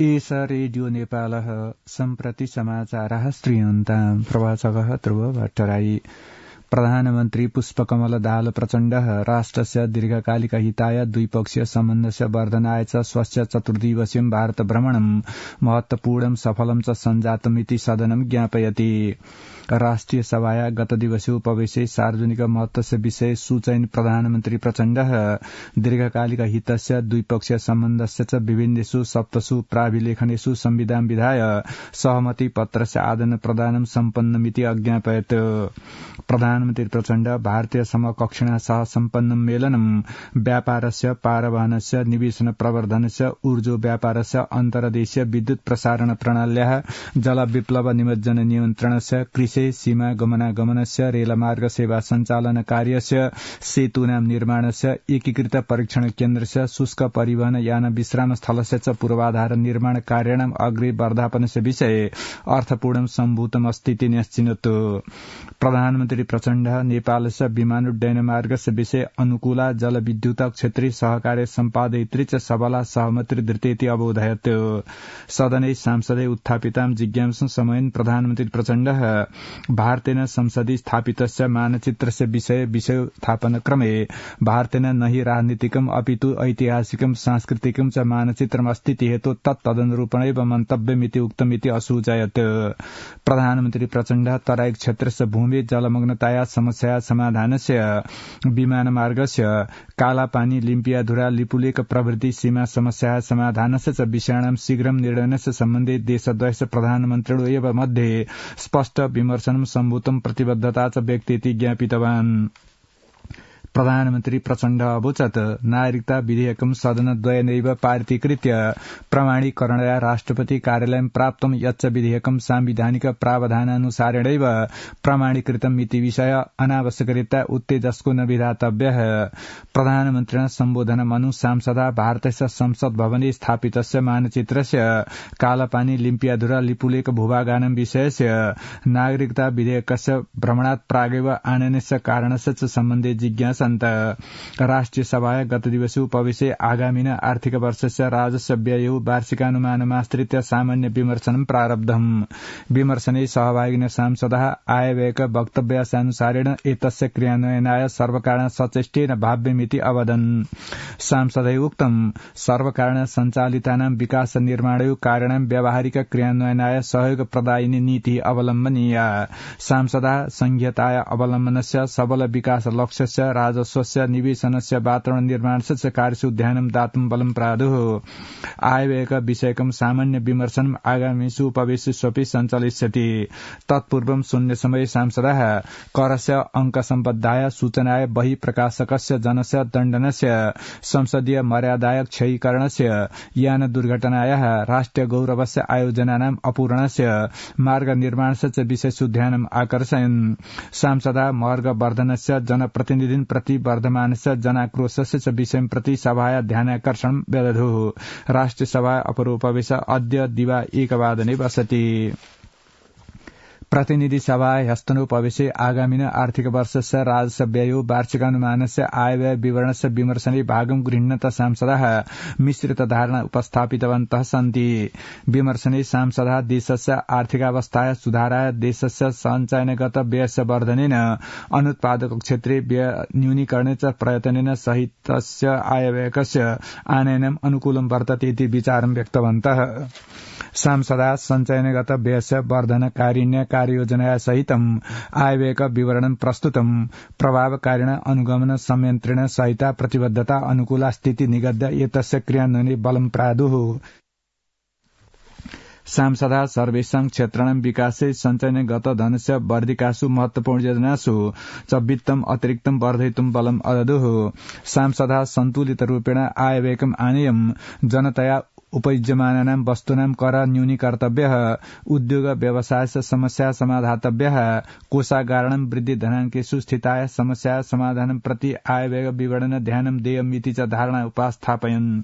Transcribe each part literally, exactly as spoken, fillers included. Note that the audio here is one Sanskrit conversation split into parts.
एष रेडियो नेपालः सम्प्रति समाचारः श्रूयन्ताम् प्रवाचकः ध्रुव भट्टराई। प्रधानमन्त्री पुष्पकमल दाहाल प्रचण्डः राष्ट्रस्य दीर्घकालिक हिताय द्विपक्षीय सम्बन्धस्य वर्धनाय च स्वस्य चतुर्दिवसीयं भारत भ्रमणं महत्वपूर्णं सफलं च सञ्जातमिति सदनं ज्ञापयति। राष्ट्रिय सभाया गत दिवसे उपवेशे सार्वजनिक महत्वस्य विषय सूचयन् प्रधानमन्त्री प्रचण्डः दीर्घकालिक हितस्य द्विपक्षीय सम्बन्धस्य च विभिन्नेषु सप्तसु प्राभिलेखनेषु संविधान विधाय सहमति पत्रस्य आदान प्रदानं सम्पन्नमिति अज्ञापयत्। प्रधानमन्त्री प्रचण्ड भारतीय समकक्षिणा सह सम्पन्नं मेलनं व्यापारस्य पारवहनस्य निवेशन प्रवर्धनस्य ऊर्जो व्यापारस्य अन्तर्देशीय विद्युत प्रसारण प्रणाल्याः जल विप्लव निमज्जन नियन्त्रणस्य कृषि सीमा गमनागमनस्य रेलमार्ग सेवा सञ्चालन कार्यस्य सेतूनां निर्माणस्य एकीकृत परीक्षण केन्द्रस्य शुष्क परिवहन यान विश्राम स्थलस्य च पूर्वाधार निर्माण कार्याणाम् अग्रे वर्धापनस्य विषये अर्थपूर्णं सम्भूतम् अस्तीति न्यश्चिनोत्। प्रधानमन्त्री प्रचण्ड नेपालस्य विमानोड्डयन मार्गस्य विषये अनुकूला जलविद्युत क्षेत्रीय सहकार्य सम्पादयित्री च सबला सहमति धृतेति अवोधयत्। सदने सांसदे उत्थापितां जिज्ञासां समयेन प्रधानमन्त्री प्रचण्ड भारतेन संसदि स्थापितस्य मानचित्रस्य विषये विषयोत्थापन क्रमे भारतेन न हि राजनीतिकम् अपितु ऐतिहासिकं सांस्कृतिकं च मानचित्रमस्तीति हेतु तत्तदनुरूपणैव मन्तव्यमिति उक्तमिति असूचयत्। प्रधानमन्त्री प्रचण्ड तराई क्षेत्रस्य भूमि जलमग्नताया समस्या समाधानस्य विमानमार्गस्य कालापानी लिम्पियाधुरा लिपुलेक प्रभृति सीमा समस्या समाधानस्य च विषयाणां शीघ्रं निर्णयस्य सम्बन्धे देशद्वयस्य प्रधानमन्त्रिणो एव मध्ये स्पष्ट विमर्शनं सम्भूतं प्रतिबद्धता च व्यक्तेति ज्ञापितवान्। प्रधानमन्त्री प्रचण्ड अवोचत् नागरिकता विधेयकं सदनद्वयेनैव पारितीकृत्य प्रमाणीकरणया राष्ट्रपति कार्यालयं प्राप्तं यच्च विधेयकं सांविधानिक प्रावधानानुसारेणैव प्रमाणीकृतम् इति विषय अनावश्यकरीत्या उत्तेजस्को न विधातव्यः। प्रधानमन्त्रिणा सम्बोधनमनु सांसदा भारतस्य संसद भवने स्थापितस्य मानचित्रस्य कालापानी लिम्पियाधुरा लिपुलेक भूभागानां विषयस्य नागरिकता विधेयकस्य भ्रमणात् प्रागेव आनयनस्य कारणस्य च सम्बन्धे जिज्ञासा राष्ट्रिय सभाया गत दिवसे उपवेशे आगामिन आर्थिक वर्षस्य राजस्व व्ययो वार्षिकानुमानमाश्रित्य सामान्य विमर्शनं प्रारब्धम्। विमर्शने सहभागिनः सांसदः आयव्ययक वक्तव्यानुसारेण एतस्य क्रियान्वयनाय सर्वकारेण सचेष्टेन भाव्यमिति अवदन्। सांसदैः उक्तं सर्वकारेण सञ्चालितानां विकास निर्माणयो कार्याणां व्यावहारिक क्रियान्वयनाय सहयोगप्रदायिनी नीतिः अवलम्बनीया। सांसदः संघीयताया अवलम्बनस्य सबल विकास लक्ष्यस्य राजस्वस्य निवेशनस्य वातावरण निर्माणस्य च कार्येषु ध्यानं दातुं बलं प्रादुः। आयव्ययक विषयकं सामान्य विमर्शनम् आगामिषु उपवेशेष्वपि सञ्चालिष्यति। तत्पूर्वं शून्य समये सांसदः करस्य अङ्कसम्बद्धाय सूचनाय बहिःप्रकाशकस्य जनस्य दण्डनस्य संसदीय मर्यादाय क्षयीकरणस्य यान दुर्घटनायाः राष्ट्रिय गौरवस्य आयोजनानाम् अपूरणस्य मार्ग निर्माणस्य च विषयेषु ध्यानम् आकर्षयन्। सांसदः मार्ग वर्धनस्य जनप्रतिनिधिन् प्रति वर्धमानस्य जनाक्रोशस्य च विषयं प्रति सभाया ध्यानाकर्षणं व्यदधुः। राष्ट्रिय सभा अपरोपवेश अद्य दिवा एकवादने वसति। प्रतिनिधि सभा ह्यस्तनोपवेशे आगामिन आर्थिक वर्षस्य राजस्व व्ययो वार्षिकानुमानस्य आयव्यय विवरणस्य विमर्शने भागं गृह्णन्तः सांसदः मिश्रित धारणा उपस्थापितवन्तः सन्ति। विमर्शने सांसदः देशस्य आर्थिकावस्थाया सुधाराय देशस्य सञ्चयनगत व्ययस्य वर्धनेन अनुत्पादक क्षेत्रे व्यय न्यूनीकरणे च प्रयत्नेन सहितस्य आयव्ययकस्य आनयनम् अनुकूलं वर्तते इति विचारं व्यक्तवन्तः। सांसदः सञ्चयनगत व्ययस्य वर्धनकारिण्य कार्ययोजनाया सहितम् आयव्ययक विवरणं प्रस्तुतं प्रभावकारिण अनुगमन संयन्त्रेण सहिता प्रतिबद्धता अनुकूला स्थिति निगद्य एतस्य क्रियान्वयने बलं प्रादुः। सांसदः सर्वेषां क्षेत्राणां विकासे सञ्चयनगत धनस्य वर्धिकासु महत्वपूर्ण योजनासु च वित्तम् अतिरिक्तं वर्धयितुं बलम् अददुः। सांसदः सन्तुलितरूपेण आयव्ययकम् आनेयम् जनतया उपयुज्यमानानां वस्तूनां कर न्यूनीकर्तव्यः, उद्योग व्यवसायस्य समस्या समाधातव्यः, कोषागाराणां वृद्धि धनाङ्केषु स्थिताय समस्या समाधानं प्रति आयव्यय विवरण ध्यानं देयमिति च धारणा उपस्थापयन्।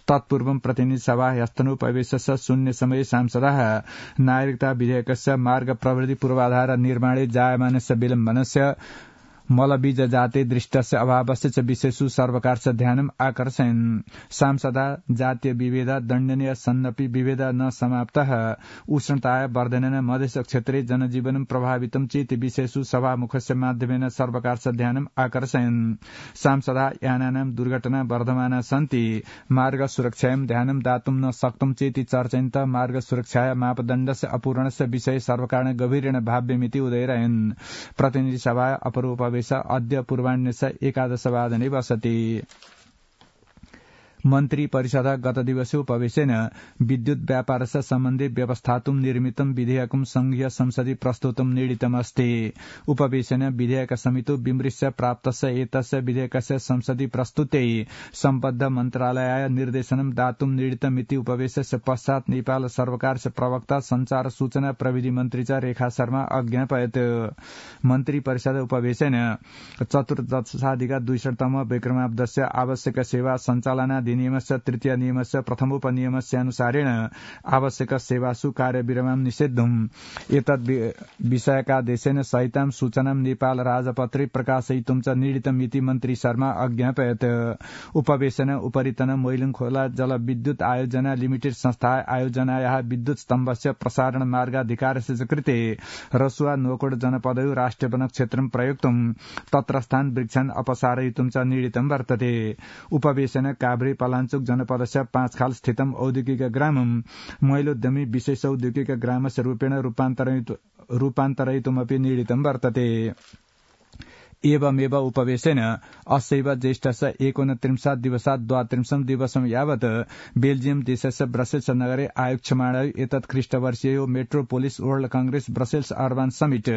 तत्पूर्वं प्रतिनिधि सभा ह्यस्तनोपवेशस्य शून्य समये सांसदः नागरिकता विधेयकस्य मार्ग प्रवृत्ति पूर्वाधार निर्माणे जायमानस्य विलम्बनस्य मलबीज जाते दृष्टस्य अभावस्य च विशेषु सर्वकारस्य ध्यानम् आकर्षयन्। सांसदा जातीय विभेद दण्डनीय सन्नपि विभेद न समाप्तः उष्णताय वर्धनेन मधेश क्षेत्रे जनजीवनं प्रभावितं चेति विशेषु सभामुखस्य माध्यमेन सर्वकारस्य ध्यानम् आकर्षयन्। सांसदा यानानां दुर्घटना वर्धमाना सन्ति मार्ग सुरक्षायां ध्यानं दातुं न शक्तं चेति चर्चयन्त मार्ग सुरक्षाया मापदण्डस्य अपूर्णस्य विषये सर्वकारेण गभीरेण भाव्यमिति उदयरयन्। प्रतिनिधि सभा अपरोपवेश अद्य पूर्वाह्नस्य एकादशवादने बसति। मन्त्री परिषद गत दिवसे उपवेशेन विद्युत व्यापारस्य सम्बन्धे व्यवस्थातुं निर्मितं विधेयकं संघीय संसदि प्रस्तुतं नीडितमस्ति। उपवेशेन विधेयक समितौ विमृश्य प्राप्तस्य एतस्य विधेयकस्य संसदि प्रस्तुत्यै सम्बद्ध मन्त्रालयाय निर्देशनं दातुं नीडितमिति उपवेशस्य पश्चात् नेपाल सर्वकारस्य प्रवक्ता संचार सूचना प्रविधि मन्त्री च रेखा शर्मा अज्ञापयत्। मन्त्री परिषद उपवेशेन चतुर्दशाधिक द्विशततम विक्रमाब्दस्य आवश्यक सेवा सञ्चालना नियमस्य तृतीय नियमस्य प्रथमोपनियमस्यानुसारेण आवश्यक सेवासु कार्यविरामं निषेद्धुम् एतद् विषयकादेशेन सहितां सूचनां नेपाल राजपत्रे प्रकाशयितुं च नीडितमिति मन्त्री शर्मा अज्ञापयत्। उपवेशने उपरितन मोइलुङखोला जलविद्युत आयोजना लिमिटेड संस्था आयोजनायाः विद्युत स्तम्भस्य प्रसारण मार्गाधिकारस्य कृते रसुवा नोकोड जनपदयो राष्ट्रिय वन क्षेत्रं प्रयोक्तुं तत्रस्थान् वृक्षान् अपसारयितुं च नीडितं वर्तते। उपवेशने काभ्रे पलाञ्चोक जनपदस्य पाँचखाल स्थितम् औद्योगिक ग्रामं महिलोद्यमी विशेष औद्योगिक ग्रामस्य रूपेण रूपान्तरयितुमपि नीडितं वर्तते। एवमेव उपवेशेन अस्यैव ज्येष्ठस्य एकोनत्रिंशत् दिवसात् द्वात्रिंशं दिवसं यावत् बेल्जियम देशस्य ब्रसेल्स नगरे आयोक्ष्यमाणाय एतत् ख्रीष्टवर्षीयो metropolis world congress Brussels urban summit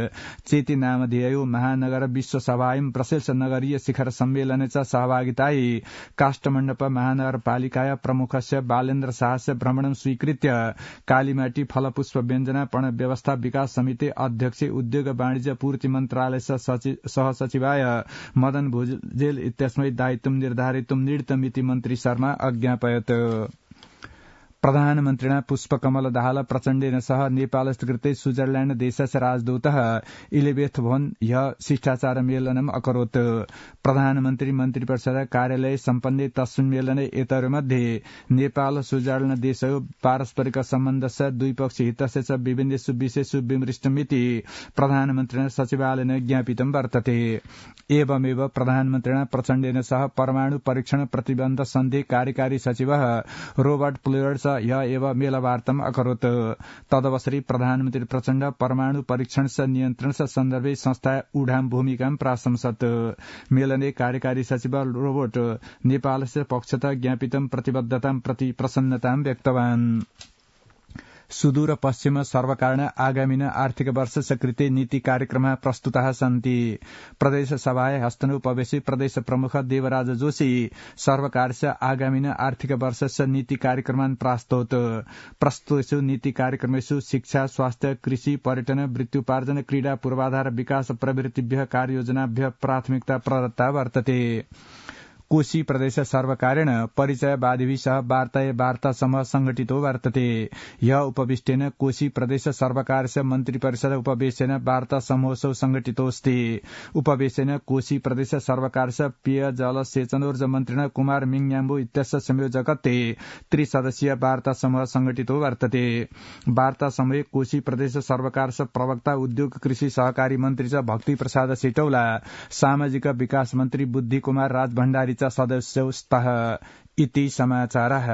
चेति नामधेयो महानगर विश्वसभायां ब्रसेल्स नगरीय शिखर सम्मेलने च सहभागितायै काष्ठमण्डप महानगरपालिकाया प्रमुखस्य बालेन्द्र शाहस्य भ्रमणं स्वीकृत्य कालीमाटी फलपुष्प व्यञ्जना पण व्यवस्था विकास समिति अध्यक्ष उद्योग वाणिज्य पूर्ति मन्त्रालयस्य सहसचिव सचिवाय मदन भुजेल इत्यस्मै दायित्वं निर्धारितुं नीडितमिति मन्त्री शर्मा अज्ञापयत्। प्रधानमन्त्रिणा पुष्पकमल दाहाल प्रचण्डेन सह नेपालस्य कृते स्विट्जरलैण्ड देशस्य राजदूतः इलिबेथ भोन ह्य शिष्टाचार मेलनम् अकरोत्। प्रधानमन्त्री मन्त्रिपरिषद कार्यालये सम्पन्ने तस्मिन् मेलने एतयोर्मध्ये नेपाल स्विट्जरलैण्ड देशयो पारस्परिक सम्बन्धस्य द्विपक्षीय हितस्य च विभिन्नेषु विषयेषु विमृष्टमिति प्रधानमन्त्रिणा सचिवालयेन ज्ञापितं वर्तते। एवमेव प्रधानमन्त्रिणा प्रचण्डेन सह परमाणु परीक्षण प्रतिबन्ध सन्धि कार्यकारी सचिवः रोबर्ट प्लेयर्स ह्य एव मेलवार्ताम् अकरोत्। तदवसरि प्रधानमन्त्री प्रचण्ड परमाणु परीक्षणस्य नियन्त्रणस्य सन्दर्भे संस्था उडाम भूमिकां प्राशंसत्। मेलने कार्यकारी सचिव रोबर्ट नेपालस्य पक्षतः ज्ञापितं प्रतिबद्धतां प्रति प्रसन्नतां व्यक्तवान्। सुदूर पश्चिम सर्वकारेण आगामिन आर्थिक वर्षस्य कृते नीति कार्यक्रमः प्रस्तुताः सन्ति। प्रदेश सभाय हस्तनोपवेशि प्रदेश प्रमुख देवराज जोशी सर्वकारस्य आगामिन आर्थिक वर्षस्य नीति कार्यक्रमान् प्रास्तोत्। प्रस्तुतेषु नीति कार्यक्रमेषु शिक्षा स्वास्थ्य कृषि पर्यटन वृत्त्युपार्जन क्रीडा पूर्वाधार विकास प्रवृत्तिभ्यः कार्ययोजनाभ्यः प्राथमिकता प्रदत्ता वर्तते। कोशी प्रदेश सर्वकारेण परिचयवादिभिः सह वार्ताय वार्ता समूह संघटितो वर्तते। यह उपविष्टेन कोशी प्रदेश सर्वकारस्य मन्त्रिपरिषद उपवेशेन वार्ता समूहोत्सव संघटितोऽस्ति। उपवेशेन कोशी प्रदेश सर्वकारस्य पेय जल सेचनोर्जा मन्त्रिणा कुमार मिङयाम्बो इत्यस्य संयोजकत्वे त्रिसदस्यीय वार्ता समूह संघटितो वर्तते। वार्ता समूहे कोशी प्रदेश सर्वकारस्य प्रवक्ता उद्योग कृषि सहकारी मन्त्री च भक्ति प्रसाद सिटौला सामाजिक विकास मन्त्री बुद्धि कुमार राजभण्डारी सदस्यौ स्तः इति समाचारः।